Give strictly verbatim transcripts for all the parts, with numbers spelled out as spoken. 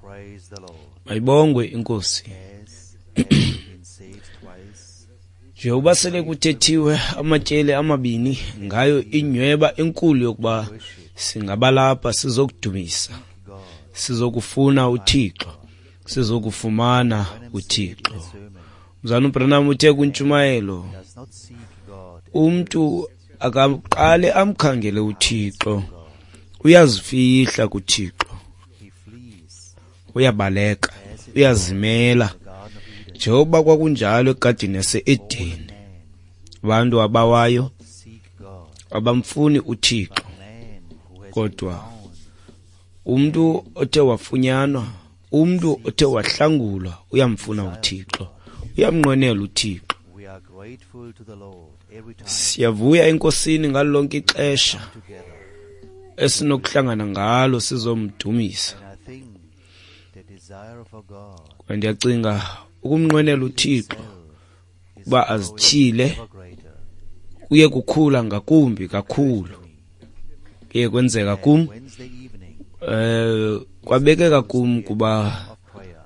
Praise the Lord. Mayibongwe inkosi. As has been said twice, Njengoba sele kuthethiwe amatyeli amabini ngayo inyweba enkulu yokuba singabalapha sizokudumisa, God sizokufuna uThixo, sizokufumana uThixo. sermon Mzalwana uBranham uthe kwintshumayelo, does not seek God. umntu akaqale amkhangele uThixo, uyazifihla kuThixo, He flees uyabaleka, uyazimela. the Garden of Eden. Njengoba kwakunjalo egadini yase-Edeni, Man abantu abawayo seek God. abamfuni uThixo, Man who has kodwa found umntu othe wafunyanwa, umntu othe wahlangulwa uyamfuna uThixo, uyamnqwenela uThixo. we are grateful to the Lord every time Siyavuya enkosini ngalo lonke ixesha together. esinokuhlangana ngalo sizomdumisa. And I think the desire for God Kwaye ndiyacinga ukumnqwenela uThixo is uba azityhile ever greater. kuye kukhula ngakumbi kakhulu. Kuye kwenzeka kum, Wednesday evening eh kwabekeka kum kuba of prayer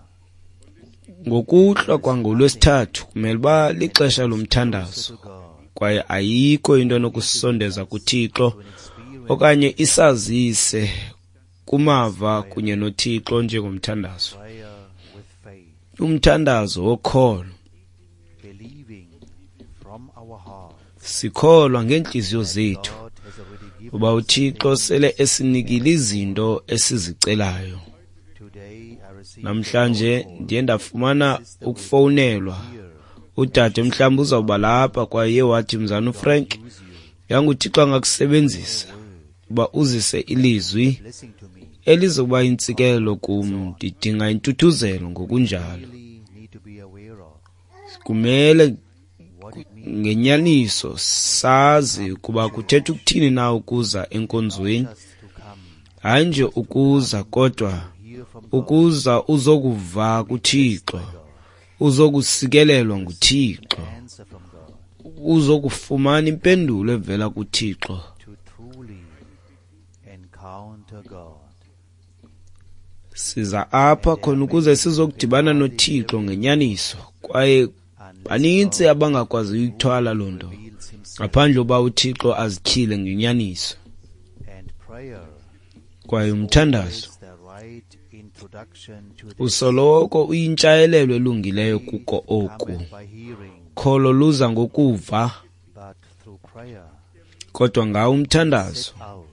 ngokuhlwa kwangolwesithathu kumele uba lixesha lomthandazo, to God kwaye ayikho into enokusondeza kuThixo to an experience okanye isazise kumava kunye noThixo njengomthandazo. prayer with faith, Umthandazo wokholo, believing from our heart sikholwa ngeentliziyo zethu God has already given uba uThixo sele esinikile izinto esizicelayo. today. I received Namhlanje ndiye ndafumana ukufowunelwa, udade mhlawumbi uzawuba lapha, kwaye wathi, Mzalwana uFrank, use you yanguThixo angakusebenzisa uba uzise ilizwi blessing to me. elizokuba yintsikelelo kum. Ndidinga intuthuzelo ngokunjalo. Really need to be aware of Kumele what it means ngenyaniso sazi ukuba kuthetha ukuthini na ukuza enkonzweni, just to come hayi nje ukuza kodwa hear from God, ukuza uzokuva kuThixo, uzokusikelelwa nguThixo, answer from God, uzokufumana impendulo evela kuThixo. to truly encounter God. Siza apha khona ukuze sizokudibana noThixo ngenyaniso, kwaye banintsi abangakwaziyo uyithwala loo nto Reveals himself ngaphandle uba uThixo azityhile ngenyaniso. and prayer Kwaye umthandazo is the right introduction to this. usoloko uyintshayelelo elungileyo kuko oku. Cometh by hearing, Kholo luza ngokuva, but through prayer kodwa ngawo umthandazo set out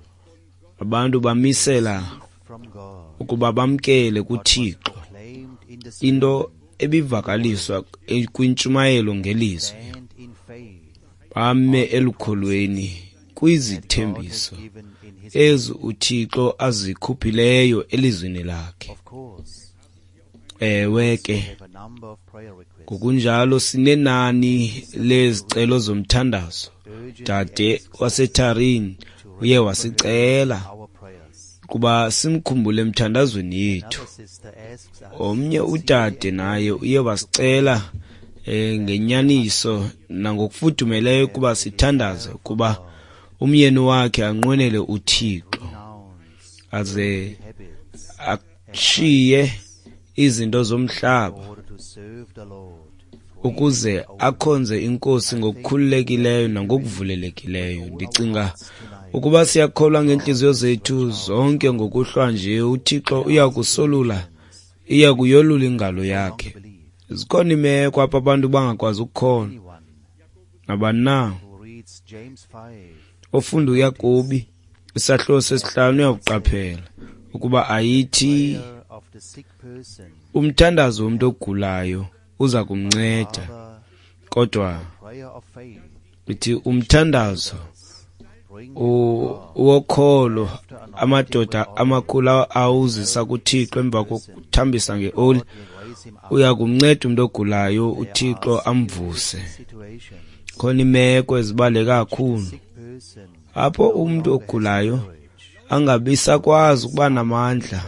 abantu bamisela from God ukuba bamkele kuThixo proclaimed in the into ebivakaliswa kwintshumayelo ngelizwi, stand in faith bame elukholweni kwizithembiso given in his ezi uThixo azikhuphileyo elizwini lakhe. of course Ewe ke, have a number of prayer requests ngokunjalo sinenani lezicelo zomthandazo. urgently Dade waseTharini uye wasicela our prayers. ukuba simkhumbule emthandazweni yethu. Another sister asks us Omnye udade naye uye wasicela eh, ngenyaniso nangokufudumeleyo ukuba sithandaze ukuba umyeni wakhe anqwenele uThixo renounce aze habits ashiye izinto zomhlaba in order to serve the Lord ukuze akhonze inkosi ngokukhululekileyo nangokuvulelekileyo. Ndicinga ukuba siyakholwa ngeentliziyo zethu zonke ngokuhlwa nje uThixo uyakusolula, iya kuyolula ingalo yakhe. believe Zikhona imeko apho abantu bangakwazi ukukholwa. anyone Nabani na who reads James five ofunda uYakobi isahluko sesihlanu uyakuqaphela ukuba ayithi prayer of the sick person umthandazo womntu ogulayo uza kumnceda, rather kodwa prayer of faith ithi umthandazo bring u- wokholo amadoda amakhulu awuzisa kuThixo emva kokuthambisa ngeoli will raise him up uya kumnceda umntu ogulayo uThixo amvuse. situation Khona imeko ezibaluleke kakhulu sick person apho umntu ogulayo angabi sakwazi ukuba namandla,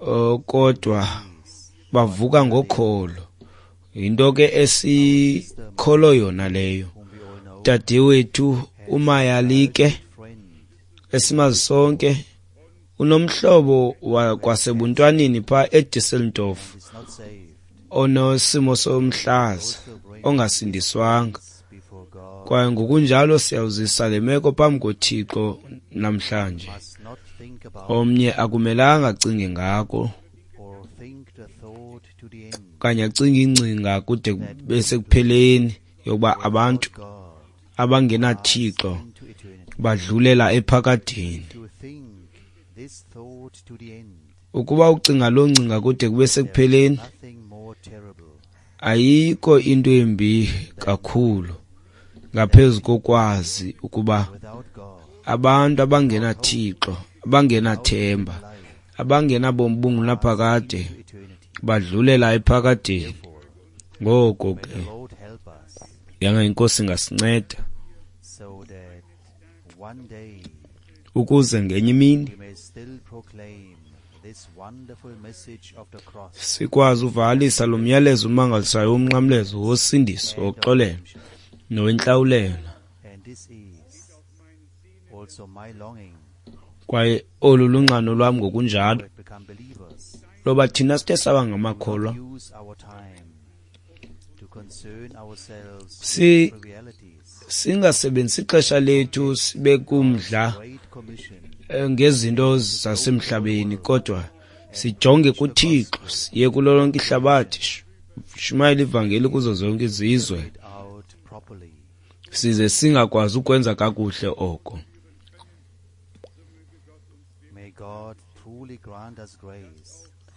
eh, kodwa bavuka ngokholo. Yinto ke esikholo yona leyo. whom we all know Dadewethu uMayalike friend esimazi sonke Unomhlobo wakwasebuntwaneni phaa eDusseldorf onesimo somhlaza ongasindiswanga. Kwaye ngokunjalo siyawuzisa le meko phambi koThixo namhlanje. Omnye akumelanga acinge ngako okanye acinge ingcinga kude besekupheleni yokuba abantu abangenaThixo badlulela ephakadeni. Ukuba ucinga loo ngcinga kude kube sekupheleni, ayikho into embi kakhulu ngaphezu kokwazi ukuba abantu abangenaThixo, abangenathemba, abangenabomi bungunaphakade badlulela ephakadeni. Ngoko ke yanga iNkosi ingasinceda ukuze ngenye imini sikwazi uvakalisa lo myalezo umangalisayo womnqamlezo wosindiso, woxolelo nowentlawulelo. Kwaye olu lunxano lwam ngokunjalo loba thina sithe saba ngamakholwa si singasebenzisi ixesha lethu sibe kumdla ngezinto zasemhlabeni, kodwa sijonge kuThixo, siye kulo lonke ihlabathi, shumayela ivangeli kuzo zonke izizwe, size singakwazi ukwenza kakuhle oko.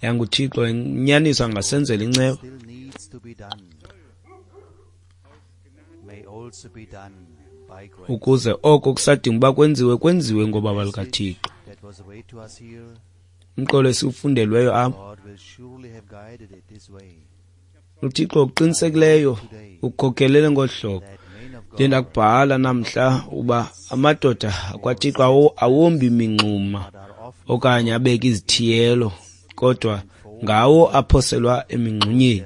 YanguThixo inyaniso angasenzela inceba ukuze oko kusadinga uba kwenziwe kwenziwe ngobaba lukaThixo. Umqolo esiwufundelweyo apha, uThixo oqinisekileyo ukhokhelele ngolu hlobo. Ndiye ndakubhala namhla uba amadoda akwaThixo awombi mingxuma okanye abeke izithiyelo, kodwa ngawo aphoselwa emingxunyeni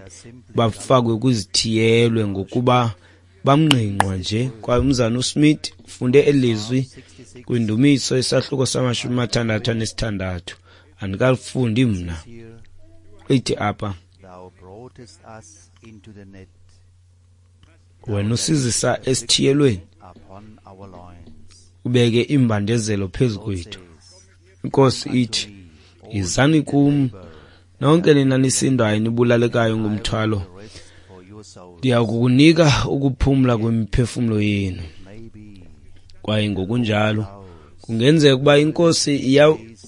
bafakwe kwizithiyelwe ngokuba bamngqingqwa nje. Kwaye umzana uSmith ufunde elizwi kwindumiso isahluko samashumi amathandathu anesithandathu. Andikalifundi mna. Ithi apha, wena usizisa esithiyelweni, ubeke imbandezelo phezu kwethu. Inkosi ithi, yizani kum nonke nina nisindwayo nibulalekayo ngumthwalo, ndiya kukunika ukuphumla kwemiphefumlo yenu. Kwaye ngokunjalo kungenzeka ukuba iNkosi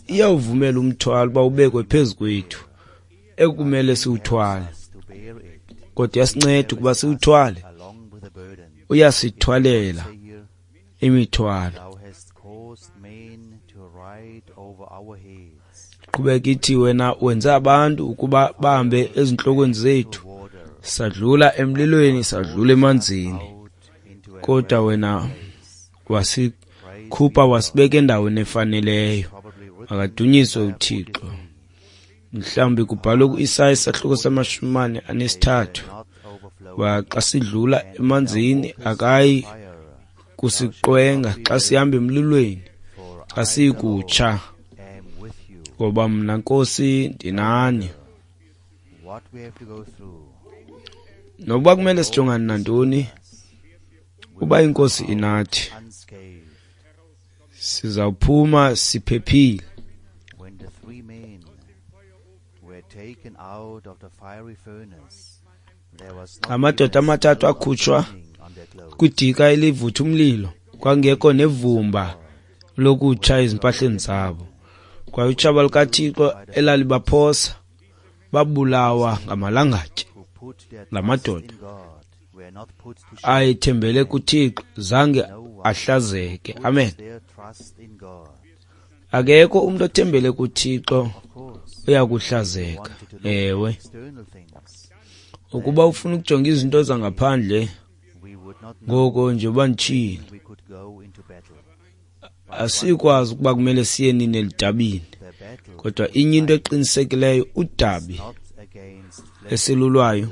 iyawuvumela umthwalo uba ubekwe phezu kwethu ekumele siwuthwale, kodwa iyasinceda ukuba siwuthwale. Uyasithwalela imithwalo. Qhubeka ithi, wena wenze abantu ukuba bahambe ezintlokweni zethu, sadlula emlilweni, sadlula emanzini, kodwa wena wasikhupha wasibeka endaweni efaneleyo. Akadunyiswe uThixo. Mhlawumbi kubhalwe ku-Isaya isahluko samashumi amane anesithathu, xa sidlula emanzini akayi kusiqwenga, xa sihamba emlilweni asiyi kutsha, ngoba mna Nkosi ndinani. Nokuba kumele sijongane nantoni, uba iNkosi inathi sizawuphuma siphephile. Amadoda amathathu akhutshwa kwidika elivutha umlilo, kwangekho nevumba lokutsha ezimpahleni zabo. Kwaye utshaba lukaThixo elalibaphosa babulawa ngamalangatye. La madoda ayethembele kuThixo zange ahlazeke. Amen. Akekho umuntu othembele kuThixo uyakuhlazeka. Ewe, ukuba ufuna ukujonga izinto zangaphandle, ngoko nje uba nditshilo, asikwazi ukuba kumele siye nini elidabini, kodwa inye into eqinisekileyo, udabi esilulwayo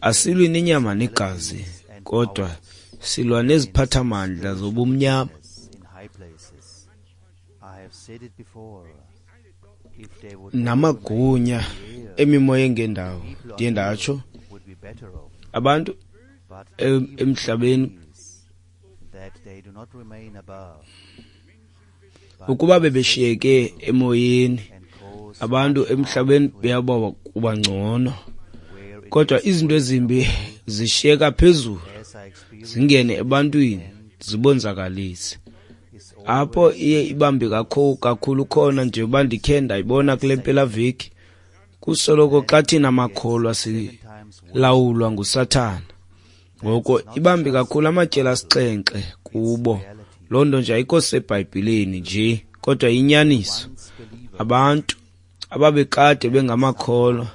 asilwi nenyama negazi, kodwa silwa neziphathamandla zobumnyama Namagunya emimoya engendawo, ndiye ndatsho abantu emhlabeni ukuba bebeshiyeke emoyeni, abantu emhlabeni beyaba kuba ngcono, kodwa izinto ezimbi zishiyeka phezulu zingene ebantwini zibonzakalise. Apho iye ibambe kakhulu khona njengoba ndikhe ndayibona kule mpelaveki, kusoloko xa thina makholwa silawulwa nguSathana. Ngoko ibambe kakhulu amatyeli asixhenxe kubo. Loo nto nje ayikho seBhayibhileni nje, kodwa inyaniso. Abantu ababekade bengamakholwa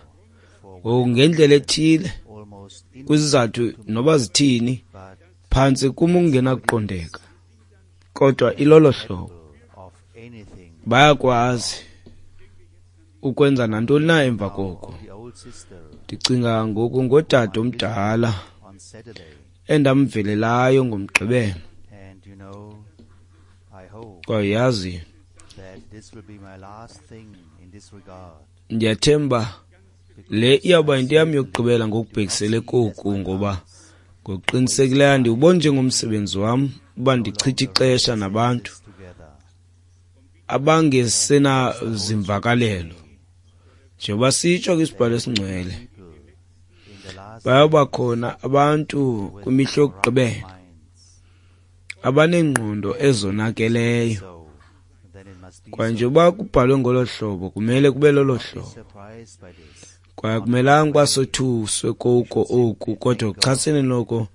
ngoku ngendlela ethile, kwizizathu noba zithini, phantsi kum ungenakuqondeka, kodwa ilolo hlobo bayakwazi ukwenza nantoni na emva koko. Ndicinga ngoku ngodade omdala endamvelelayo ngoMgqibelo. Kwaye yazi, ndiyathemba le iyawuba yinto yam yokugqibela ngokubhekisele koku, ngoba ngokuqinisekileyo ndiwubona njengomsebenzi wam uba ndichithe ixesha nabantu abangesenazimvakalelo. Njengoba sitsho kwisibhalo esingcwele, bayawuba khona abantu kwimihla yokugqibela abaneengqondo ezonakeleyo. Kwaye njengoba kubhalwe ngolo hlobo, kumele kube lolo hlobo. Kwaye akumelanga uba sothuswe koko oku, kodwa kuchasene noko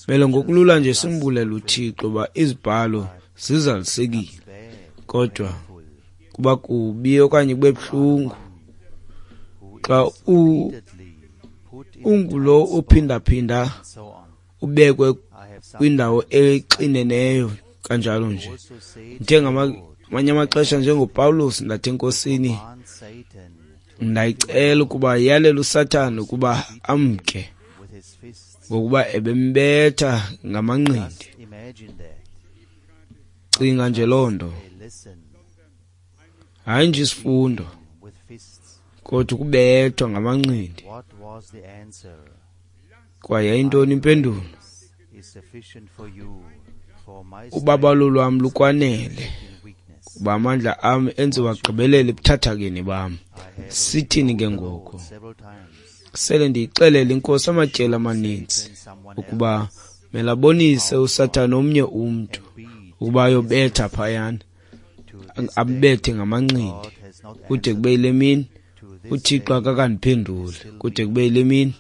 mele ngokulula nje simbulele uThixo uba izibhalo zizalisekile. Kodwa kuba kubi okanye kube buhlungu xa ungulo ophindaphinda ubekwe kwindawo exineneyo kanjalo nje. Njengamanye amaxesha njengoPawulos ndathi eNkosini, ndayicela ukuba yalele uSathana ukuba amke, ngokuba ebembetha ngamanqindi. Cinga nje loo nto, hayi nje isifundo, kodwa ukubethwa ngamanqindi. Kwaye yayintoni impendulo? Ubabalo lwam lukwanele, kuba amandla am enziwa agqibelele ebuthathakeni bam. Sithini ke ngoku? Sele ndiyixelele iNkosi amatyeli amaninzi ukuba mele abonise uSathana omnye umntu ukuba ayobetha phayana, ambethe ngamanqindi kude kube yile mini. uThixo akakandiphenduli kude kube yile mini,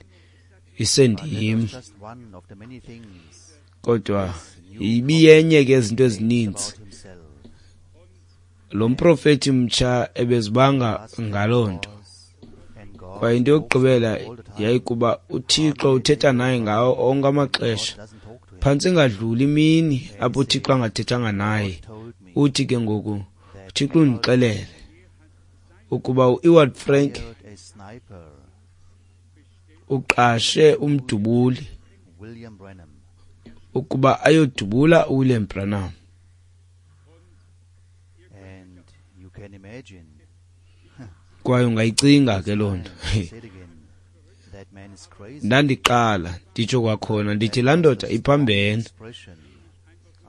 isendim. Kodwa ibiyenye ke izinto ezininzi lo mprofethi mtsha ebezibanga ngaloo nto. Kwaye into yokugqibela yayikuba uThixo uthetha naye ngawo onke amaxesha, phantsi ingadluli imini apho uThixo angathethanga naye. Uthi ke ngoku uThixo undixelele ukuba uEwald Frank uqashe umdubuli ukuba ayodubula uWilliam Branham. Kwaye ungayicinga ke loo nto. Ndandiqala nditsho kwakhona ndithi laa ndoda iphambene,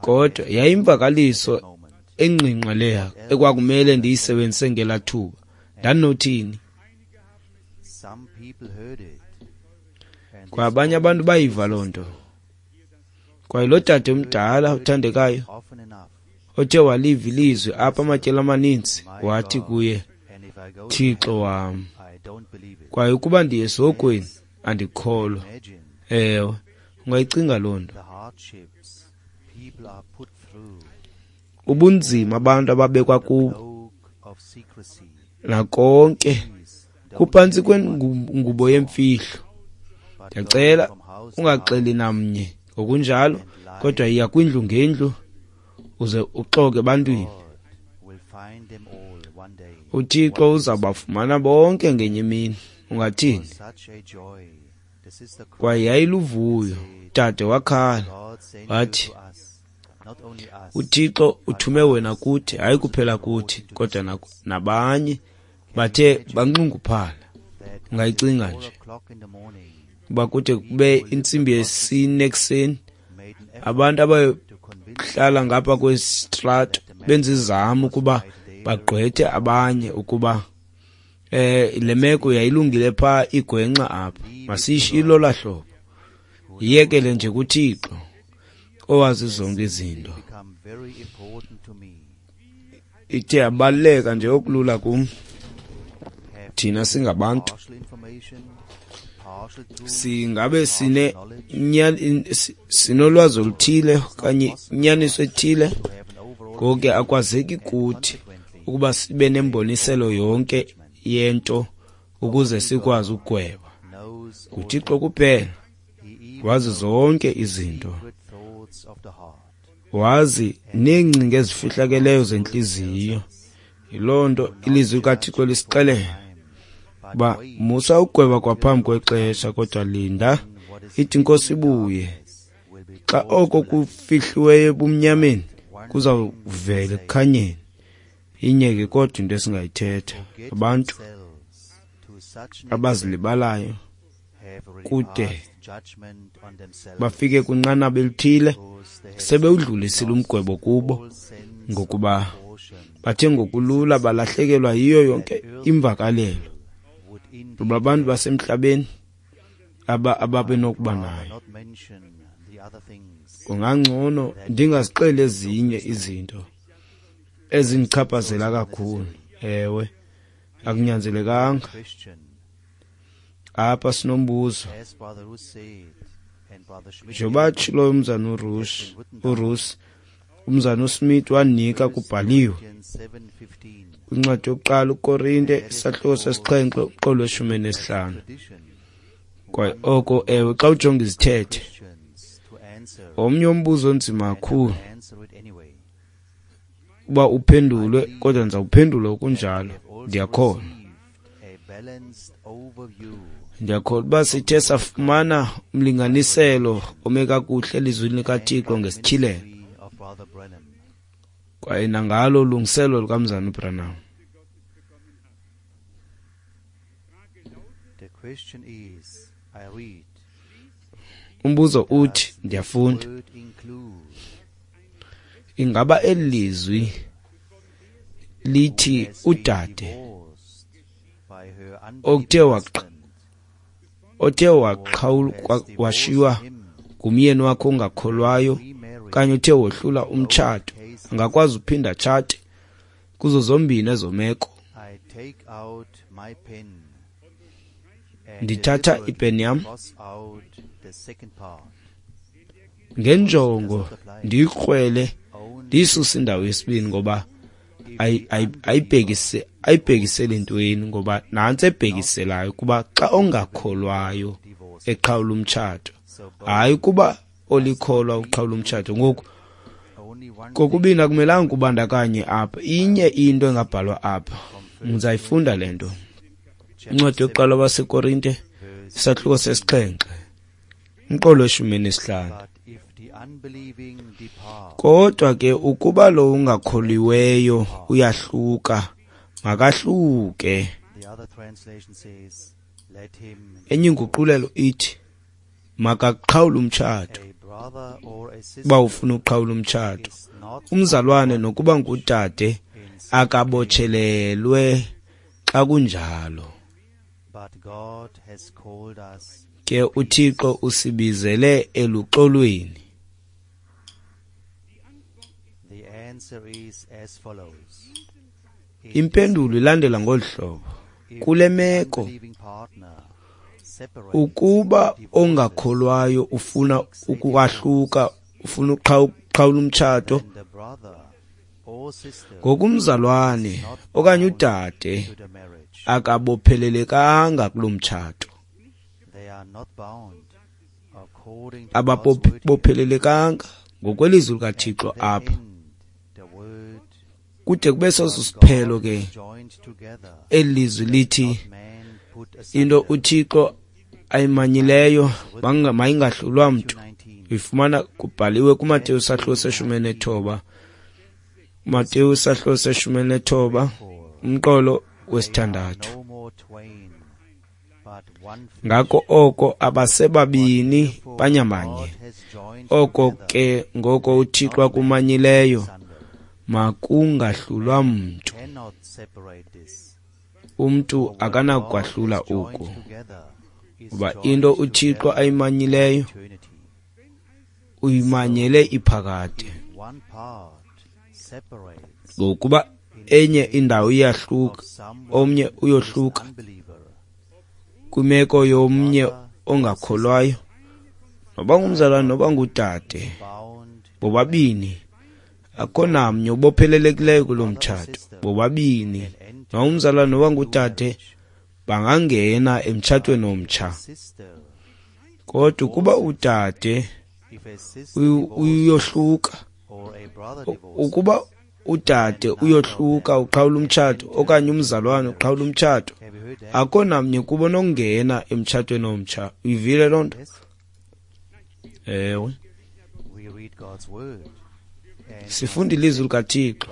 kodwa yayimvakaliso engqingqwa leya ekwakumele ndiyisebenzise ngelaa thuba. Ndandinothini? Kwaye abanye abantu bayiva loo nto. Kwaye lo dade omdala uthandekayo othe waliva ilizwi apha amatyeli amaninzi, wathi kuye, Thixo wam, kwaye ukuba ndiye esihogweni andikholwa. Ewe, ungayicinga loo nto. Ubunzima abantu ababekwa kubo nakonke kuphantsi kwengubo yemfihlo. Ndiyacela ungaxeli namnye ngokunjalo, kodwa yiya kwindlu ngendlu uze uxoke ebantwini. uThixo uzabafumana bonke ngenye imini. Ungathini? Kwaye yayiluvuyo. Dade wakhala wathi, uThixo uthume wena kuthi, hayi kuphela kuthi kodwa nabanye bathe banxunguphala. Ungayicinga nje uba kude kube intsimbi yesine ekuseni abantu abayohlala ngapha kwesitrato benza izamo ukuba bagqwethe abanye ukuba eh le meko yayilungile pha igwenxa apha, masiyishiye lolaa hlobo, yiyekele nje kuThixo owazi zonke izinto. Ithe yabaluleka nje okulula kum. Thina singabantu singabe sine sinolwazi oluthile okanye inyaniso ethile, ngoko ke akwazeki kuthi ukuba sibe nemboniselo yonke yento ukuze sikwazi ukugweba. NguThixo kuphela wazi zonke izinto, wazi neengcinga ezifihlakeleyo zentliziyo. Yiloo nto ilizwi likaThixo lisixelela uba musa ukugweba kwaphambi kwexesha, kodwa linda ithi iNkosi ibuye. Xa oko kufihliweyo ebumnyameni kuzawuvela ekukhanyeni. Inye ke kodwa into esingayithetha, abantu abazilibalayo kude bafike kwinqanaba elithile sebewudlulisile umgwebo kubo, ngokuba bathe ngokulula balahlekelwa yiyo yonke imvakalelo kuba abantu basemhlabeni aba ababenokuba nayo. Kungangcono ndingazixeli ezinye izinto ezindichaphazela kakhulu. Ewe, akunyanzelekanga. Apha sinombuzo. Njengoba atshilo umzana uRush, uRuss, umzana uSmith wanika kubhaliwe kwincwadi yokuqala uKorinte isahluko sesixhenxe umqolo weshumi nesihlanu. Kwaye oko ewe, xa ujonga izithethe, omnye umbuzo onzima kakhulu uba uphendulwe, kodwa ndizawuphendula okunjalo. Ndiyakholwa ndiyakholwa uba sithe safumana umlinganiselo ome kakuhle elizwini likaThixo ngesityhilelo kwaye nangalo ulungiselo lukamzana uBranham. Umbuzo uthi, ndiyafunda, ingaba eli lizwi lithi udade othe othe waqhawulwa washiywa ngumyeni wakhe ongakholwayo okanye uthe wohlula umtshato angakwazi uphinda atshate kuzo zombini ezo meko? Ndithatha ipeni yam ngenjongo ndiyikrwele ndiyisuse indawo yesibini, ngoba ayibhekise ayibhekisele entweni, ngoba nantsi ebhekiselayo kuba xa ongakholwayo eqhawula umtshato, hayi kuba olikholwa uqhawula umtshato. Ngoku kokubini akumelanga kubandakanye apha. Inye into engabhalwa apha, ndizayifunda le nto. Incwadi yokuqala waseKorinte isahluko sesixhenxe umqolo weshumi nesihlanu. Kodwa ke ukuba lo ungakholiweyo uyahluka, makahluke. Enye inguqulelo ithi makaqhawule umtshato. Uba ufuna uqhawula umtshato, umzalwane nokuba ngudade akabotshelelwe xa kunjalo. Ke uThixo usibizele eluxolweni. Impendulo ilandela ngolu hlobo: kule meko, ukuba ongakholwayo ufuna ukwahluka, ufuna uqhawula umtshato, ngokumzalwane okanye udade akabophelelekanga kulo mtshato. Ababophelelekanga ngokwelizwi likaThixo apha. Kude kube soso siphelo ke eli lizwi lithi into uThixo ayimanyileyo mayingahlulwa mntu. Uyifumana kubhaliwe kuMateyu isahluko seshumi nethoba, Mateyu isahluko seshumi nethoba umqolo wesithandathu. Ngako oko abasebabini banyamanye, oko ke ngoko uThixo akumanyileyo makungahlulwa mntu. Umntu akanakwahlula oku, kuba into uThixo ayimanyileyo uyimanyele iphakade. Ngokuba enye indawo iyahluka, omnye uyohluka kwimeko yomnye ongakholwayo, noba ngumzalwane noba ngudade, bobabini akho namnye ubophelelekileyo kulo mtshato. Bobabini, noba ngumzalwane noba ngudade, bangangena emtshatweni omtsha. Kodwa ukuba udade uyohluka, ukuba udade uyohluka uqhawula umtshato okanye umzalwane uqhawula umtshato, akho namnye kubo nokungena emtshatweni omtsha. Uyivile loo nto? Ewe. Sifunda ilizwi likaThixo,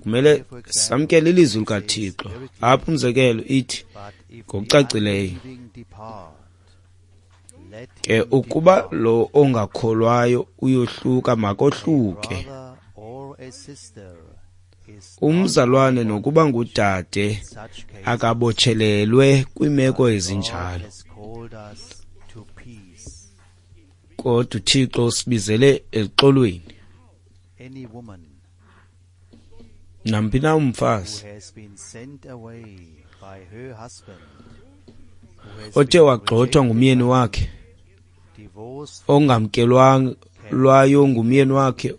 kumele samkele ilizwi likaThixo. Apha umzekelo ithi ngokucacileyo, ke ukuba lo ongakholwayo uyohluka makohluke. Umzalwane nokuba ngudade akabotshelelwe kwimeko ezinjalo, kodwa uThixo usibizele exolweni. Namphi na umfazi othe wagxothwa ngumyeni wakhe, ongamkelwayo ngumyeni wakhe,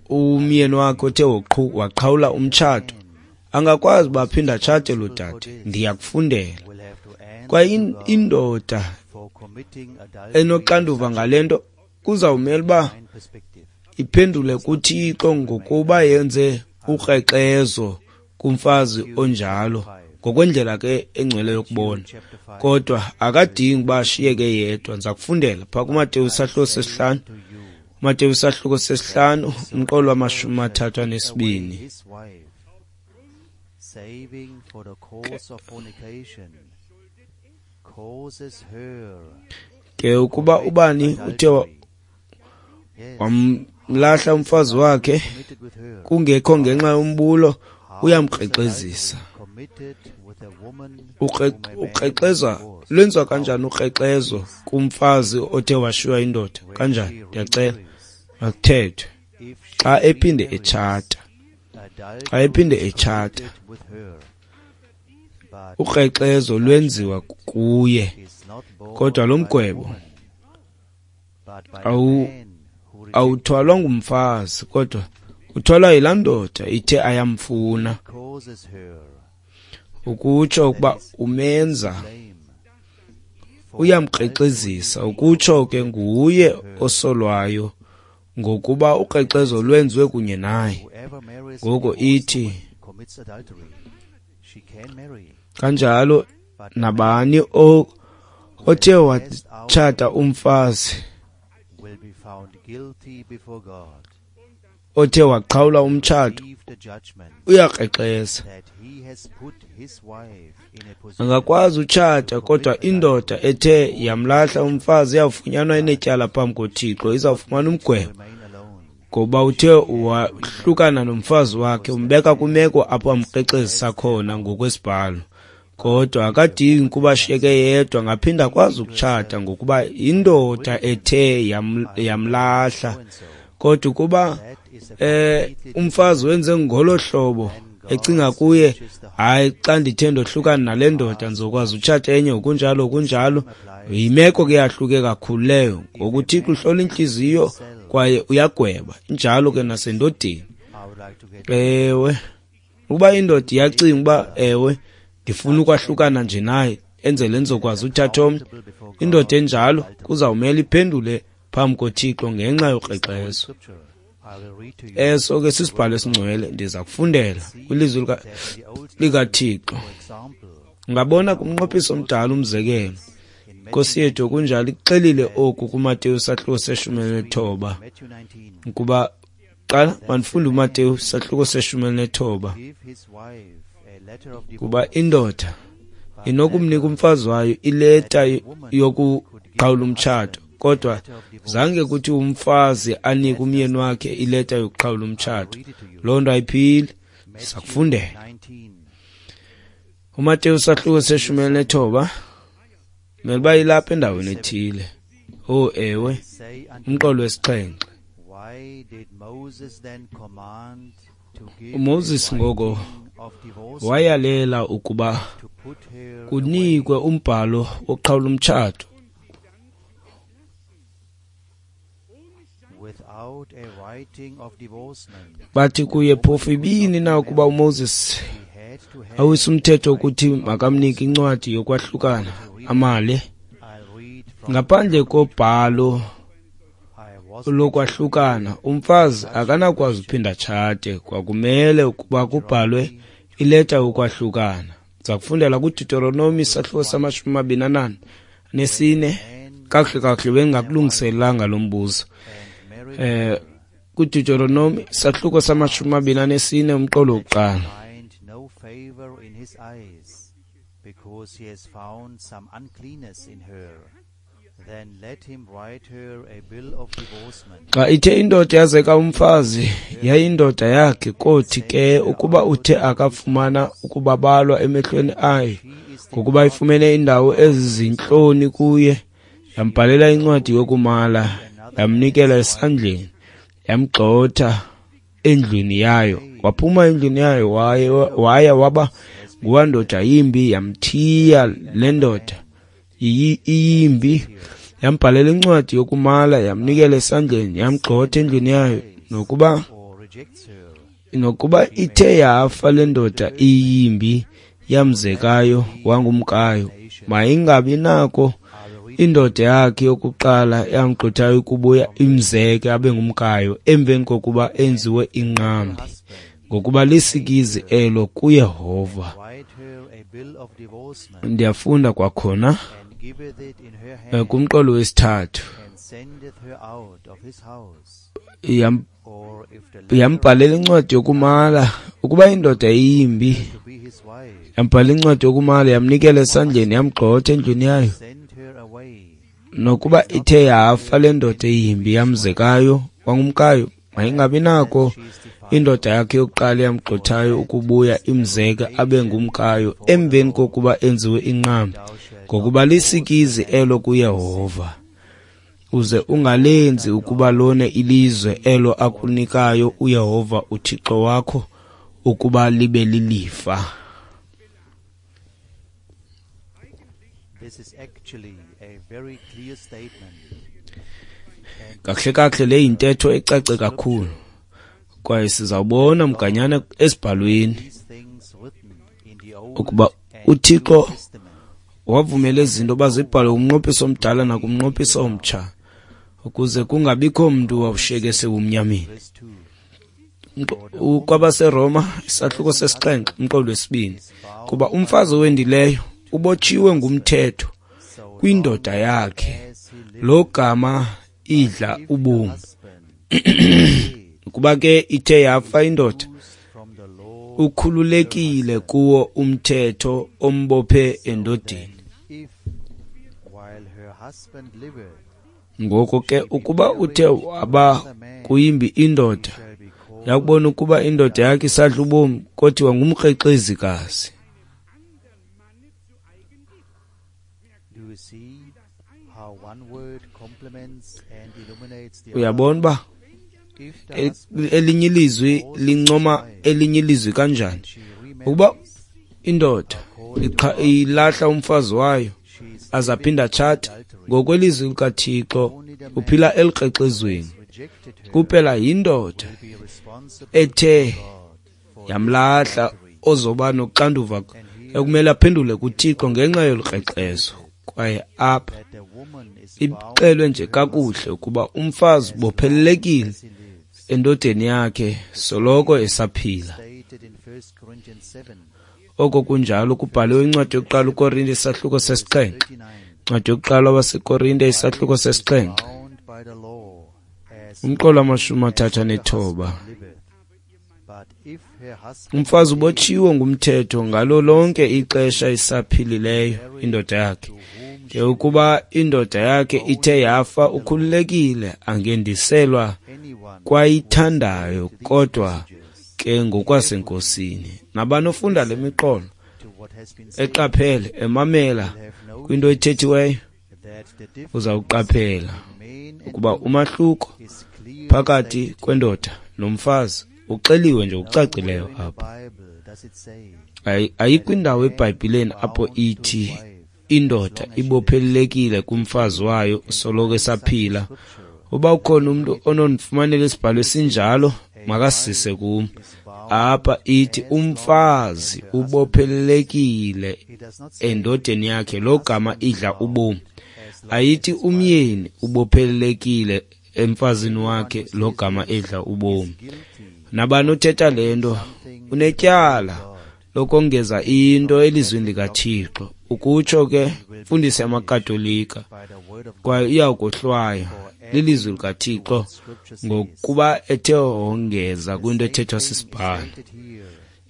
umyeni wakhe othe waqhawula umtshato, angakwazi uba aphinde atshate lo dade. Ndiyakufundela. Kwaye indoda enoxanduva ngale nto kuzawumela uba iphendule kuThixo ngokuba yenze ukrexezo kumfazi onjalo, ngokwendlela ke engcwele yokubona. Kodwa akadingi uba ashiyeke yedwa. Ndiza kufundela phaa kuMateyu isahluko sesihlanu, Mateyu isahluko sesihlanu umqolo wamashumi amathathu anesibini. Ke ukuba ubani uthe wamlahla umfazi wakhe kungekho ngenxa yombulo, uyamkrexezisa. Ukrexeza lwenziwa kanjani ukrexezo kumfazi othe washiywa indoda? Kanjani? Ndiyacela makuthethwe. Xa ephinde etshata, xa ephinde etshata, ukrexezo lwenziwa kuye, kodwa lo mgwebo awu awuthwalwa ngumfazi, kodwa uthwalwa yilaa ndoda ithe ayamfuna. Ukutsho ukuba umenza uyamkrexezisa, ukutsho ke nguye osolwayo ngokuba ukrexezo lwenziwe kunye naye. Ngoko ithi kanjalo nabani othe watshata umfazi othe waqhawula umtshato uyakrexeza. Angakwazi utshata, kodwa indoda ethe yamlahla umfazi iyawufunyanwa inetyala phambi koThixo, izawufumana umgwebo ngoba uthe wahlukana nomfazi wakhe, umbeka kwimeko apho amkrexezisa khona ngokwesibhalo. Kodwa akadingi kuba ashiyeke yedwa, angaphinda akwazi ukutshata ngokuba indoda ethe yamlahla. Kodwa ukuba eh umfazi wenze ngolo hlobo ecinga kuye, hayi xa ndithe ndohlukana nale ndoda ndizokwazi utshata enye, ngokunjalo kunjalo, yimeko ke yahluke kakhulu leyo. Ngoku uThixo uhlola intliziyo kwaye uyagweba, injalo ke nasendodeni. Ewe, ukuba indoda iyacinga uba ewe ndifuna ukwahlukana nje naye enzele ndizokwazi uthatha omnye, indoda enjalo kuzawumele iphendule phambi koThixo ngenxa yokrexezo. Eso ke sisibhalo esingcwele, ndiza kufundela kwilizwi likaThixo. Ungabona kumnqophiso omdala umzekelo, Nkosi yethu kunjalo ikuxelile oku kuMateyu sahluko seshumi elinethoba, ukuba qala mandifunde uMateyu sahluko seshumi elinethoba, kuba indoda inokumnika umfazi wayo ileta yokuqhawula umtshato, kodwa zange kuthi umfazi anike umyeni wakhe ileta yokuqhawula umtshato. Loo nto ayiphili. Sakufundela uMateyu sahluko seshumi elinethoba, mele uba ilapha endaweni ethile. Oh ewe, umqolo wesixhenxe. UMoses ngoko wayalela ukuba kunikwe umbhalo woqhawula umtshato Bathi kuye, phofu ibini na ukuba uMoses awisa umthetho ukuthi makamnike incwadi yokwahlukana amale? Ngaphandle kobhalo lokwahlukana, umfazi akanakwazi uphinda atshate. Kwakumele ukuba kubhalwe ileta yokwahlukana. Ndiza kufundela kuDeuteronomi isahluko samashumi amabini anane nesine. Kakuhle kakuhle bengakulungiselelanga lo mbuzo. Eh, kuDeuteronomi isahluko samashumi amabini anesine umqolo wokuqala. Because he has found some uncleanness in her, then let him write her a bill of divorcement. Xa ithe indoda yazeka umfazi, yayindoda yakhe, kothi ke ukuba uthe akafumana ukubabalwa emehlweni ayo, ngokuba ifumene indawo ezizintloni kuye, yambhalela incwadi yokumala, yamnikela esandleni, yamgxotha endlwini yayo. Waphuma endlwini yayo waya waba nguwandoda yimbi, yamthiya le ndoda iyimbi, yambhalela incwadi yokumala, yamnikela esandleni, yamgxotha endlwini yayo. Nokuba nokuba ithe yafa le ndoda iyimbi yamzekayo wangumkayo, mayingabi nako indoda yakhe yokuqala yamgxothayo ukubuya imzeke abe ngumkayo emveni kokuba enziwe inqambi, ngokuba lisikizi elo kuYehova. Ndiyafunda kwakhona kumqolo wesithathu. Yambhalela incwadi yokumala, ukuba indoda iyimbi, yambhalela incwadi yokumala, yamnikela esandleni, yamgxotha endlwini yayo. Nokuba ithe yafa le ndoda iyimbi yamzekayo wangumkayo, mayingabi nako indoda yakhe yokuqala yamgxothayo ukubuya imzeke abe ngumkayo emveni kokuba enziwe inqambi, ngokuba lisikizi elo kuYehova. Uze ungalenzi ukuba lone ilizwe elo akunikayo uYehova uThixo wakho ukuba libe lilifa. This is actually a very clear statement. Kakuhle kakuhle le yintetho ecace kakhulu, kwaye sizawubona mganyana esibhalweni ukuba uThixo wavumela izinto bazibhale kumnqophiso omdala nakumnqophiso omtsha, ukuze kungabikho mntu wawushiyeke sebumnyameni. KwabaseRoma isahluko sesixhenxe umqolo wesibini, kuba umfazi owendileyo ubotshiwe ngumthetho kwindoda yakhe, lo gama idla ubomi. Ukuba ke ithe yafa indoda, ukhululekile kuwo umthetho ombophe endodeni. Ngoko ke ukuba uthe waba kuyimbi indoda, yakubona ukuba indoda yakhe isadla ubomi, kothiwa ngumkrexezikazi. Uyabona uba elinye ilizwi lincoma elinye ilizwi kanjani? Ukuba indoda ilahla umfazi wayo aze aphinde atshate, ngokwelizwi likaThixo uphila elikrexezweni. Kuphela yindoda ethe yamlahla ozoba noxanduva ekumele aphendule kuThixo ngenxa yolukrexezo. Kwaye apha ixelwe nje kakuhle ukuba umfazi ubophelelekile endodeni yakhe soloko esaphila. Oko kunjalo kubhaliwe incwadi yokuqala uKorinte isahluko sesixhenxe. Incwadi yokuqala waseKorinte isahluko sesixhenxe. Umqolo wamashumi athathu anethoba. Umfazi ubotshiwe ngumthetho ngalo lonke ixesha isaphilileyo indoda yakhe. Ke ukuba indoda yakhe ithe yafa, ukhululekile angendiselwa kwayithandayo, kodwa ke ngokwasenkosini. Nabani ofunda le miqolo eqaphele, emamela kwinto ethethiweyo, uzawuqaphela ukuba umahluko phakathi kwendoda nomfazi uxeliwe nje ngokucacileyo apha. Ayikho indawo eBhayibhileni apho ithi indoda ibophelelekile kumfazi wayo soloko esaphila. Uba ukhona umntu onondifumanela isibhalo esinjalo, makasise kum. Apha ithi umfazi ubophelelekile endodeni yakhe logama idla ubomi. Ayithi umyeni ubophelelekile emfazini wakhe logama edla ubomi. Nabani othetha le nto unetyala lokongeza into elizwini likaThixo. Ukutsho ke mfundisi yamaKatolika, kwaye iyawukohlwaywa lilizwi likaThixo ngokuba ethe wongeza kwinto ethethwa sisibhalo.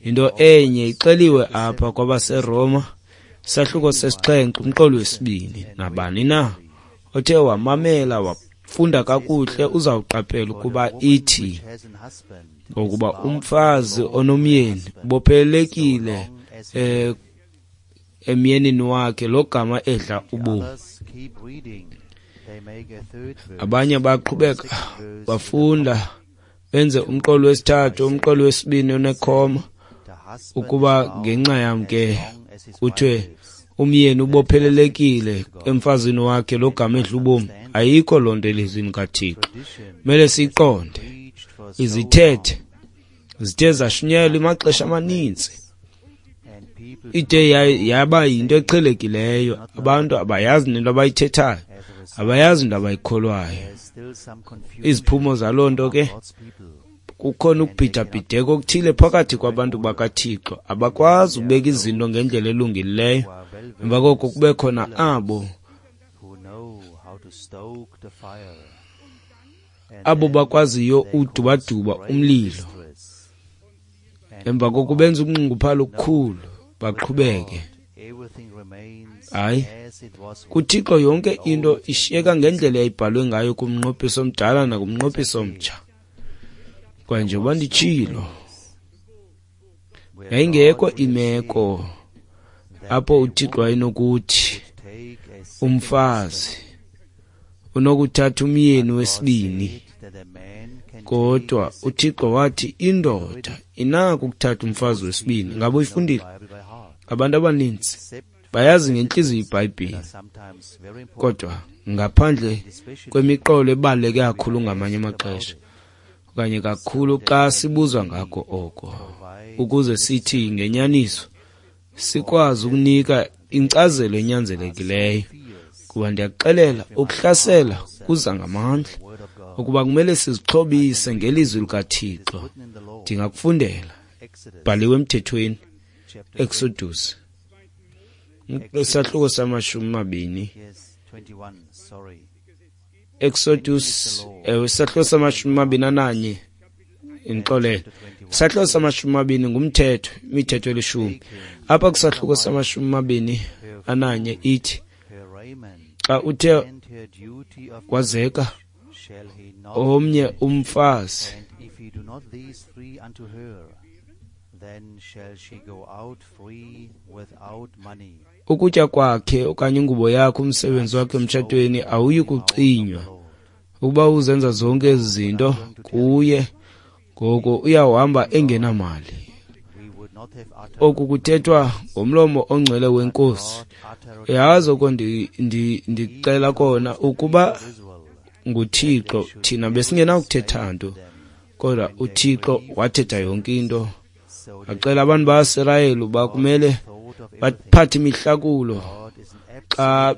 Into enye ixeliwe apha kwabaseRoma isahluko sesixhenxe umqolo wesibini. Nabani na othe wamamela wafunda kakuhle uzawuqaphela ukuba ithi ngokuba umfazi onomyeni ubophelelekile eh emyenini wakhe logama edla ubomi. Abanye baqhubeka bafunda benze umqolo wesithathu, umqolo wesibini onekhoma, ukuba ngenxa yam ke kuthiwe umyeni ubophelelekile emfazini wakhe logama edla ubomi. Ayikho loo nto elizwini kaThixo. Kumele siyiqonde. Izithethe zithe zashunyayelwa amaxesha amaninzi, ide yaba yinto eqhelekileyo. Abantu abayazi nento abayithethayo, abayazi into abayikholwayo. Iziphumo zaloo nto ke, kukhona ukubhidabhideka okuthile phakathi kwabantu bakaThixo. Abakwazi ukubeka izinto ngendlela elungileyo. Emva koko kube khona abo abo bakwaziyo udubaduba umlilo. Emva koko benza ukunxunguphalo okukhulu, baqhubeke. Hayi, kuThixo yonke into ishiyeka ngendlela eyayibhalwe ngayo kumnqophiso omdala nakumnqophiso omtsha. Kwaye njengoba nditshilo, yayingekho imeko apho uThixo wayenokuthi umfazi unokuthatha umyeni wesibini, kodwa uThixo wathi indoda inako ukuthatha umfazi wesibini. Ngaba uyifundile? Abantu abaninzi bayazi ngentliziyo iBhayibhile, kodwa ngaphandle kwemiqolo ebaluleke kakhulu ngamanye amaxesha, okanye kakhulu xa sibuzwa ngako oko, ukuze sithi ngenyaniso sikwazi ukunika inkcazelo enyanzelekileyo. Kuba ndiyakuxelela, ukuhlasela kuza ngamandla, ukuba kumele sizixhobise ngelizwi likaThixo. Ndingakufundela, bhaliwe emthethweni, Exodus isahluko samashumi mabini. Exodus isahluko samashumi mabini ananye, indixolele. Isahluko samashumi mabini ngumthetho, imithetho elishumi. Apha kwisahluko samashumi mabini ananye ithi, xa uthe wazeka omnye umfazi, ukutya kwakhe okanye ingubo yakhe, umsebenzi wakhe emtshatweni awuyi kucinywa. Ukuba uzenza zonke ezi zinto kuye, ngoko uyawuhamba engenamali. Oku kuthethwa ngomlomo ongcwele weNkosi. Yazi oko ndicela kona, ukuba nguThixo thina besingenakuthetha nto, kodwa uThixo wathetha yonke into. Acela abantu baSirayeli uba kumele baphathe imihlakulo xa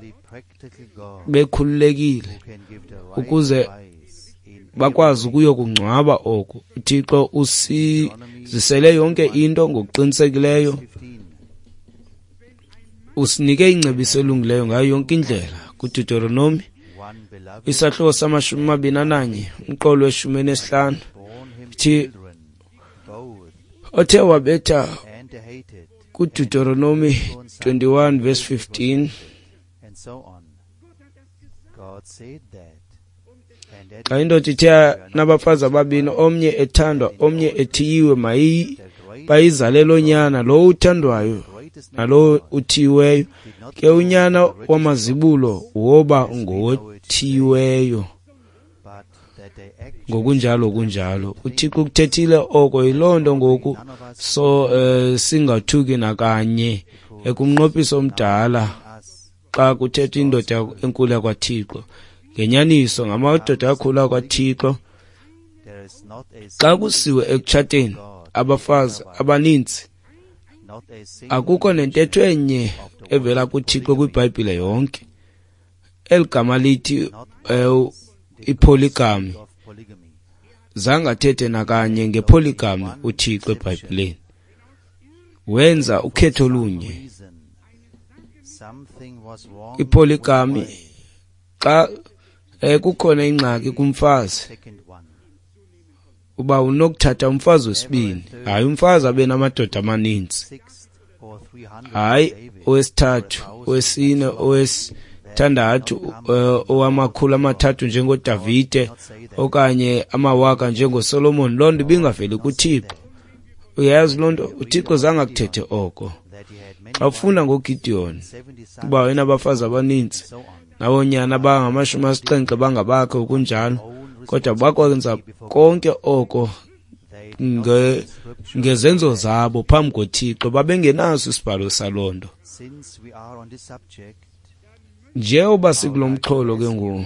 bekhululekile ukuze bakwazi ukuyokungcwaba oku. uThixo usizisele yonke into ngokuqinisekileyo. Usinike ingcebiso elungileyo ngayo yonke indlela. KuDeuteronomy isahluko samashumi amabini ananye umqolo weshumi enesihlanu thi othe wabetha kuDeuteronomy twenty-one verse fifteen. Xa indoda ithe nabafazi ababini, omnye ethandwa omnye ethiyiwe, bayizalele onyana, lowo uthandwayo nalowo uthiyiweyo. Ke unyana wamazibulo woba ngothiyiweyo. Ngokunjalo kunjalo uThixo ukuthethile oko. Yiloo nto ngoku so uh, singathuki nakanye ekumnqophiso omdala xa kuthethwa indoda enkulu yakwaThixo. Ngenyaniso ngamadoda akhulu akwaThixo. Xa kusiwe ekutshateni abafazi abaninzi, akukho nentetho enye evela kuThixo kwiBhayibhile yonke. Eli gama lithi uh, ipolygamy, zange athethe nakanye ngepolygamy uThixo eBhayibhileni. Wenza ukhetho olunye. Ipolygamy, xa eh, kukhona ingxaki kumfazi, uba unokuthatha umfazi wesibini, hayi umfazi abe namadoda amaninzi, hayi owesithathu, owesine, owesithandathu, owamakhulu amathathu njengoDavide okanye amawaka njengoSolomon. Loo nto ibingaveli kuThixo. Uyayazi loo nto, uThixo zange akuthethe oko. Xa ufunda ngoGideon uba wayenabafazi abaninzi nabonyana abangamashumi asixhenxe bangabakhe okunjalo, kodwa bakwenza konke oko nge, ngezenzo zabo phambi koThixo. Babengenaso isibhalo saloo nto. Njengoba sikulo mxholo ke ngoku,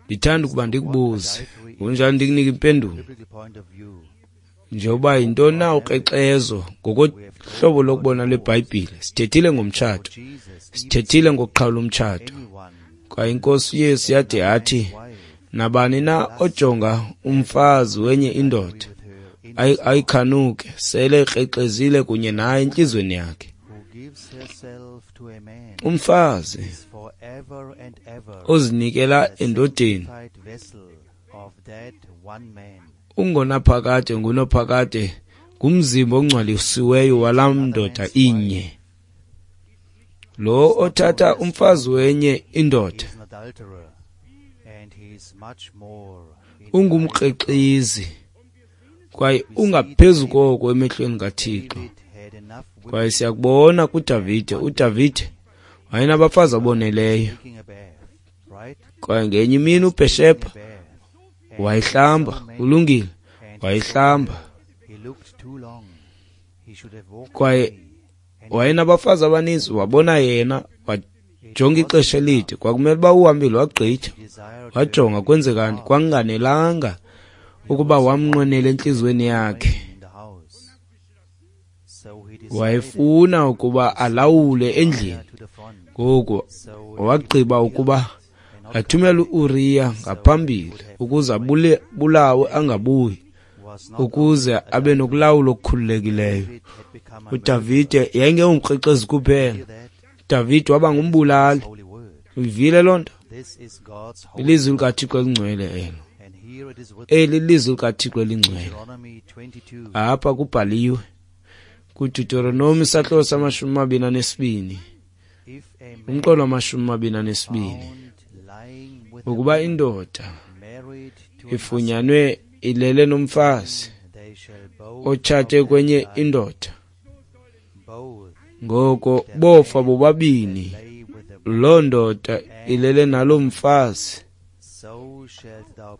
ndithanda ukuba ndikubuze kunjani, ndikunike impendulo njengoba yintoni na ukrexezo ngokohlobo lokubona lweBhayibhile. Sithethile ngomtshato, sithethile ngokuqhawula umtshato, kwaye iNkosi uYesu yade yathi nabani na ojonga umfazi wenye indoda ayikhanuke sele ekrexezile kunye naye entliziyweni yakhe. Umfazi ozinikela endodeni ungonaphakade ngunophakade, ngumzimba ongcwalisiweyo walaa ndoda inye. Lo othatha umfazi wenye indoda ungumkrexezi kwaye ungaphezu koko emehlweni kaThixo. Kwaye siyakubona kuDavide. uDavide wayenabafazi aboneleyo, kwaye ngenye imini uBhesheba wayihlamba. Ulungile, wayihlamba. Kwaye wayenabafazi abaninzi, wabona yena, wajonga ixesha elide. Kwakumele uba uhambile wagqitha, wajonga kwenzekani. Kwanganelanga ukuba wamnqwenela entliziyweni yakhe, wayefuna ukuba alawule endlini. Ngoku wagqiba ukuba athumele u-Uriya ngaphambili ukuze abulawe angabuyi, ukuze abe nokulawula okukhululekileyo. uDavide yayingengumkrexezi kuphela, uDavide waba ngumbulali. Uyivile loo nto? Ilizwi likaThixo elingcwele elo. Eli lizwi likaThixo elingcwele. Apha kubhaliwe kuDeuteronomy isahluko samashumi amabini anesibini, umqolo wamashumi amabini anesibini, ukuba indoda ifunyanwe ilele nomfazi otshate kwenye indoda, ngoko bofa bobabini, loo ndoda ilele naloo mfazi,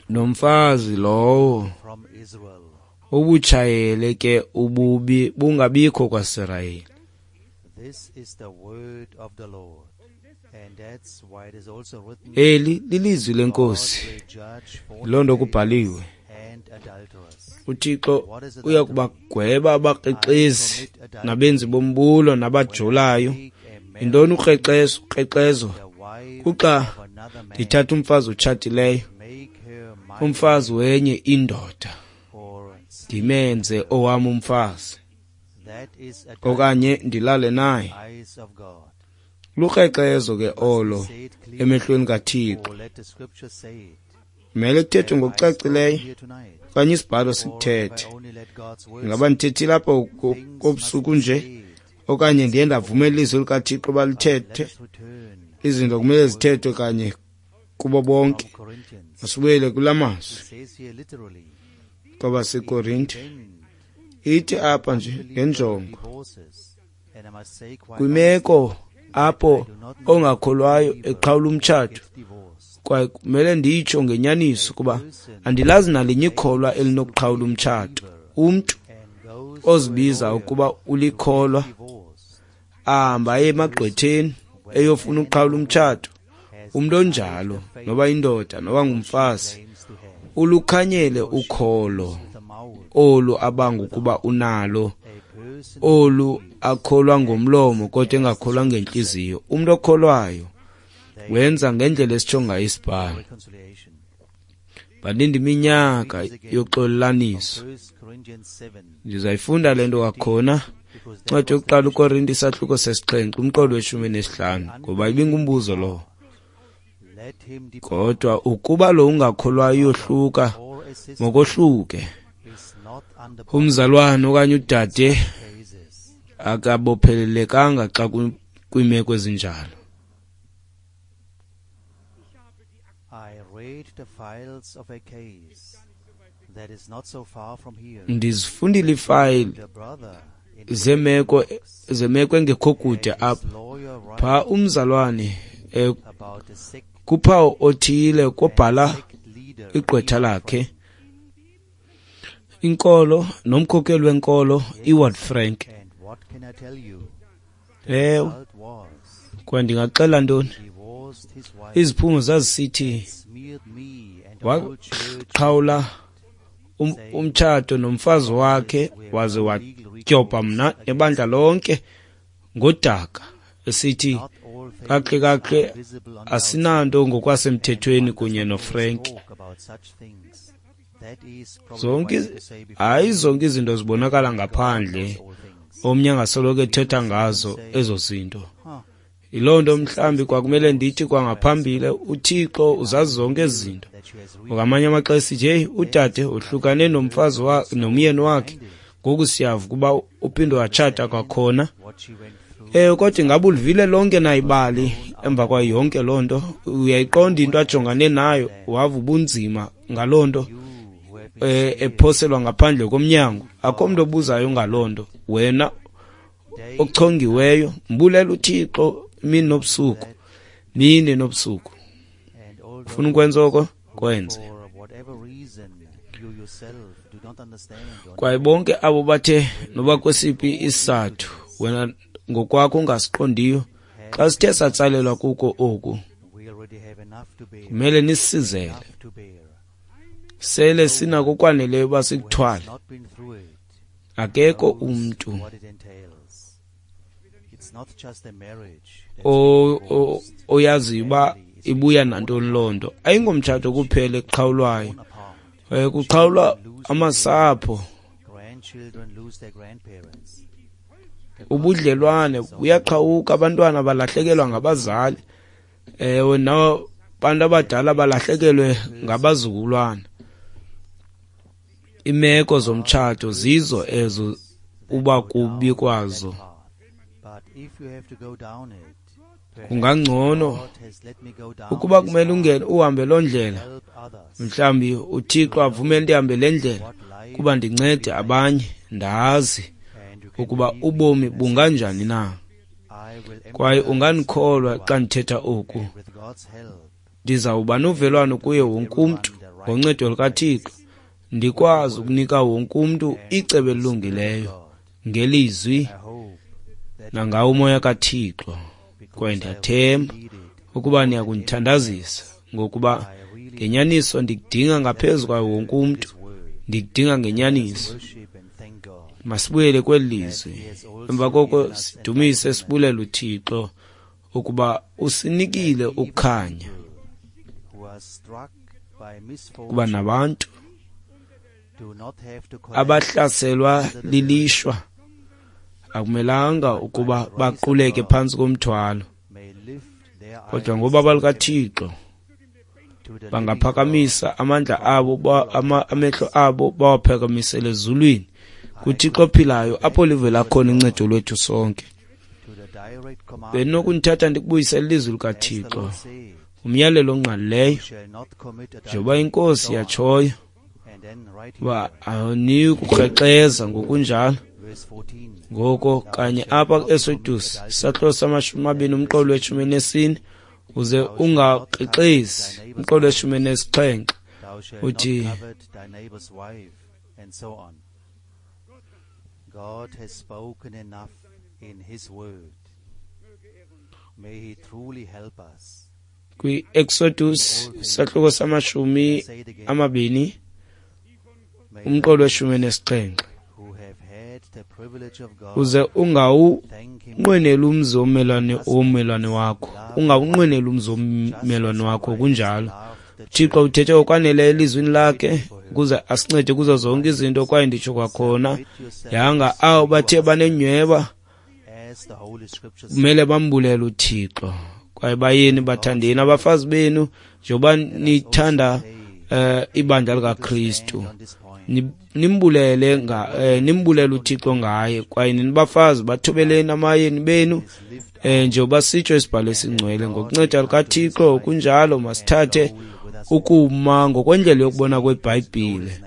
nomfazi lowo ubutshayele ke ububi bungabikho kwaSirayeli. Eli lilizwi lenkosi. Loo nto kubhaliwe. uThixo uya kubagweba abakrexezi nabenzi bombulo nabajolayo. Yintoni ukrexezo? Ukrexezo kuxa ndithatha umfazi otshatileyo, umfazi wenye indoda, ndimenze owam umfazi. okanye ndilale naye. Lukrexezo ke olo emehlweni kaThixo. Kumele kuthethwe ngokucacileyo okanye isibhalo sikuthethe. Ingaba ndithethile apha kobusuku nje okanye ndiye ndavumela ilizwi likaThixo uba lithethe? Izinto kumele zithethwe kanye kubo bonke. Masibuyele kula mazwi kwabaseKorinte. Ithi apha nje ngenjongo, kwimeko apho ongakholwayo eqhawula umtshato, kwaye kumele nditsho ngenyaniso kuba andilazi nalinye ikholwa elinokuqhawula umtshato. Umntu ozibiza ukuba ulikholwa ahamba aye emagqwetheni eyofuna ukuqhawula umtshato, umntu onjalo, noba indoda noba ngumfazi, ulukhanyele ukholo olu abanga ukuba unalo, olu akholwa ngomlomo kodwa engakholwa ngentliziyo. Umntu okholwayo wenza ngendlela esitsho ngayo isibhalo. Balinda iminyaka yoxolelaniso. Ndizayifunda le nto kwakhona, incwadi yokuqala uKorinte isahluko sesixhenxe umqolo weshumi nesihlanu, ngoba ibingumbuzo lowo. Kodwa ukuba lo ungakholwayo uyohluka, mokohluke. Umzalwane okanye udade akabophelelekanga xa kwiimeko ezinjalo. Ndizifundile iifayile zemeko zemeko engekho kude apha. Phaa umzalwane kuphawu othile kobhala igqwetha lakhe inkolo nomkhokeli wenkolo iWard Frank. Ewe, kwaye ndingaxela ntoni? Iziphumo zazisithi waqhawula umtshato nomfazi wakhe waze wadyobha mna nebandla lonke ngodaka, esithi kakuhle kakuhle asinanto ngokwasemthethweni kunye noFrank. Zonke hayi zonke izinto zibonakala ngaphandle, omnye angasoloko ethetha ngazo ezo zinto. Yiloo nto mhlawumbi kwakumele ndithi kwangaphambili, uThixo uzazi zonke ezi zinto. Ngamanye amaxesha sithi, heyi, udade uhlukane nomfazi wakhe nomyeni wakhe, ngoku siyava ukuba uphinde watshata kwakhona. Ewe, kodwa ingaba ulivile lonke na ibali emva kwayo yonke loo nto? Uyayiqonda into ajongane nayo, wava ubunzima ngaloo nto, ephoselwa ngaphandle komnyango. Akho mntu obuzayo ngaloo nto. Wena ochongiweyo, mbulela uThixo imini nobusuku, mini nobusuku. Ufuna ukwenza oko? Kwenze. Kwaye bonke abo bathe noba kwesiphi isizathu wena ngokwakho ungasiqondiyo, xa sithe satsalelwa kuko oku, kumele nisizele. Sele sinako okwaneleyo uba sikuthwale. Akekho umntu oyaziyo uba ibuya nantoni loo nto. Ayingomtshato kuphela eqhawulwayo, kuqhawulwa amasapho, ubudlelwane buyaqhawuka, abantwana balahlekelwa ngabazali, ewe, nabantu abadala balahlekelwe ngabazukulwana. Imeko zomtshato zizo ezo uba kubi kwazo. Kungangcono ukuba kumele ungene uhambe loo ndlela, mhlawumbi uThixo avumele ndihambe le ndlela kuba ndincede abanye, ndazi ukuba ubomi bunganjani na. Kwaye ungandikholwa xa ndithetha oku, ndizawuba novelwano kuye wonke umntu ngoncedo lukaThixo, ndikwazi ukunika wonke umntu icebo elilungileyo ngelizwi nangawo umoya kaThixo. Kwaye ndiyathemba ukuba niyakundithandazisa, ngokuba ngenyaniso ndikudinga ngaphezu kwawo wonke umntu, ndikudinga ngenyaniso. Masibuyele kweli lizwi, emva koko sidumise sibulele uThixo ukuba usinikile ukukhanya, kuba nabantu abahlaselwa lilishwa Akumelanga ukuba baquleke phantsi komthwalo, kodwa ngobabalo lukaThixo bangaphakamisa amandla abo, ama, amehlo abo bawaphakamisele ezulwini kuThixo ophilayo, apho livela khona uncedo lwethu sonke. Bendinokundithatha ndikubuyisele ilizwi likaThixo, umyalelo ongqalileyo, njengoba iNkosi yatshoyo uba awuniki kukrexeza ngokunjalo. Ngoko kanye apha ku-Exodus isahluko samashumi amabini umqolo weshumi nesine, uze ungakrexezi, umqolo weshumi nesixhenxe uthi, God has spoken enough in his word. May he truly help us. Kwi-Exodus isahluko samashumi amabini umqolo weshumi nesixhenxe, uze ungawunqweneli umzi wommelwane wommelwane wakho, ungawunqweneli umzi wommelwane wakho. Kunjalo, Thixo uthethe okwaneleyo elizwini lakhe ukuze asincede kuzo zonke izinto. Kwaye nditsho kwakhona, yanga abo bathe banenyhweba kumele bambulele uThixo. Kwaye bayeni bathandeni abafazi benu njengoba nithanda eh, ibandla likaKristu, nimbulele nga eh, nimbulele uThixo ngaye. Kwaye nini bafazi bathobeleni amayeni benu eh, njengoba sitsho isibhalo esingcwele ngokunceda lukaThixo. Kunjalo, masithathe ukuma ngokwendlela yokubona kweBhayibhile,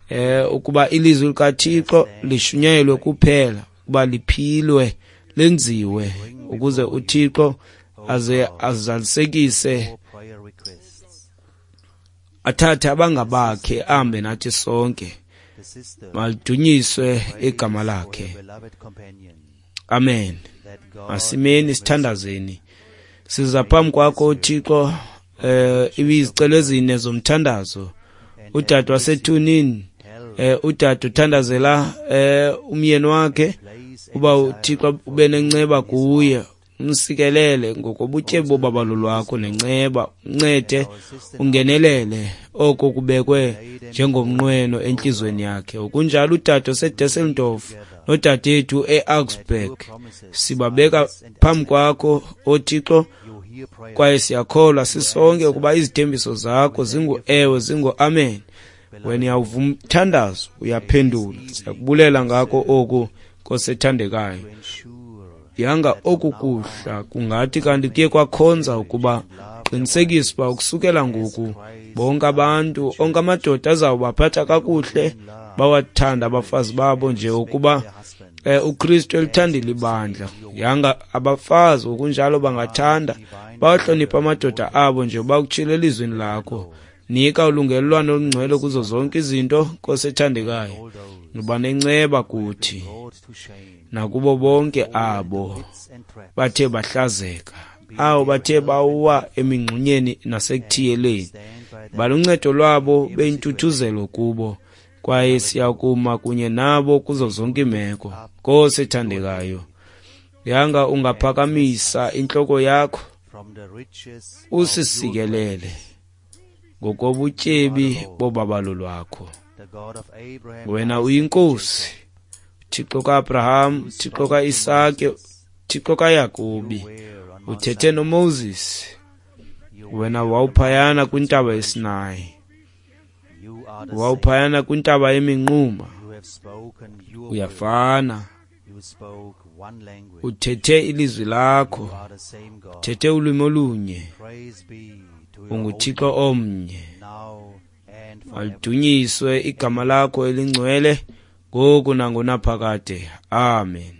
eh ukuba ilizwi likaThixo lishunyayelwe kuphela, ukuba liphilwe, lenziwe, ukuze uThixo aze azalisekise, athathe abangabakhe ahambe nathi sonke. Malidunyiswe igama lakhe. Amen. Masimeni sithandazeni. Siza phambi kwakho Thixo, eh ibizicelo ezine zomthandazo. Udade waseTunin, eh udade uthandazela eh umyeni wakhe uba uThixo ube nenceba kuye, umsikelele ngokobutyebi bobabalo lwakho nenceba, uncede ungenelele oko kubekwe njengomnqweno entliziyweni yakhe. Okunjalo udade oseDusseldorf nodadethu eAugsburg, sibabeka phambi kwakho oThixo, kwaye siyakholwa sisonke ukuba izithembiso zakho zingu-ewe, zingu-amen. Wena uyawuvuma umthandazo, uyaphendula. Siyakubulela ngako oku, Nkosi ethandekayo. Yanga oku kuhla kungathi kanti kuye kwakhonza ukuba qinisekisa uba ukusukela ngoku bonke abantu, onke amadoda azawubaphatha kakuhle, bawathanda abafazi babo nje ukuba eh, uKristu elithandile ibandla. Yanga abafazi ngokunjalo bangathanda, bawahloniphe amadoda abo nje bakutshile elizwini lakho. Nika ulungelelwano olungcwele kuzo zonke izinto, Nkosi ethandekayo. Uba nenceba kuthi nakubo bonke abo bathe bahlazeka, abo bathe bawa emingxunyeni nasekuthiyeleni. Baluncedo lwabo beyintuthuzelo kubo, kwaye siyakuma kunye nabo kuzo zonke iimeko. Nkosi ethandekayo, yanga ungaphakamisa intloko yakho usisikelele ngokobutyebi bobabalo lwakho. Wena uyinkosi, Thixo kaAbraham, Thixo kaIsake, Thixo kaYakobi. Uthethe noMoses, wena wawuphayana kwintaba yeSinayi, wawuphayana kwintaba yeminquma. Uyafana, uthethe ilizwi lakho, uthethe ulwimi olunye, unguThixo omnye. Malidunyiswe igama lakho elingcwele ngoku nangonaphakade. Amen.